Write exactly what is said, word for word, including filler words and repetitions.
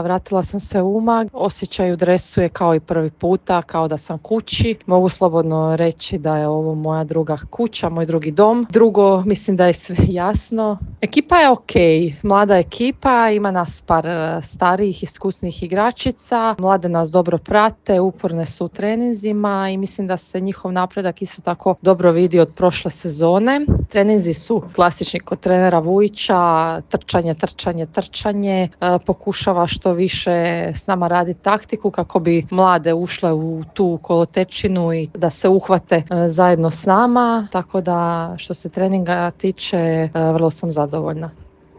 Vratila sam se u Umag, osjećaj u dresu je kao i prvi puta, kao da sam kući. Mogu slobodno reći da je ovo moja druga kuća, moj drugi dom. Drugo, mislim da je sve jasno. Ekipa je ok, mlada ekipa, ima nas par starijih, iskusnih igračica. Mlade nas dobro prate, uporne su u treninzima i mislim da se njihov napredak isto tako dobro vidi od prošle sezone. Treninzi su klasični kod trenera Vujića, trčanje, trčanje, trčanje. E, pokušava što više s nama raditi taktiku kako bi mlade ušle u tu kolotečinu i da se uhvate e, zajedno s nama. Tako da što se treninga tiče, e, vrlo sam zadovoljna.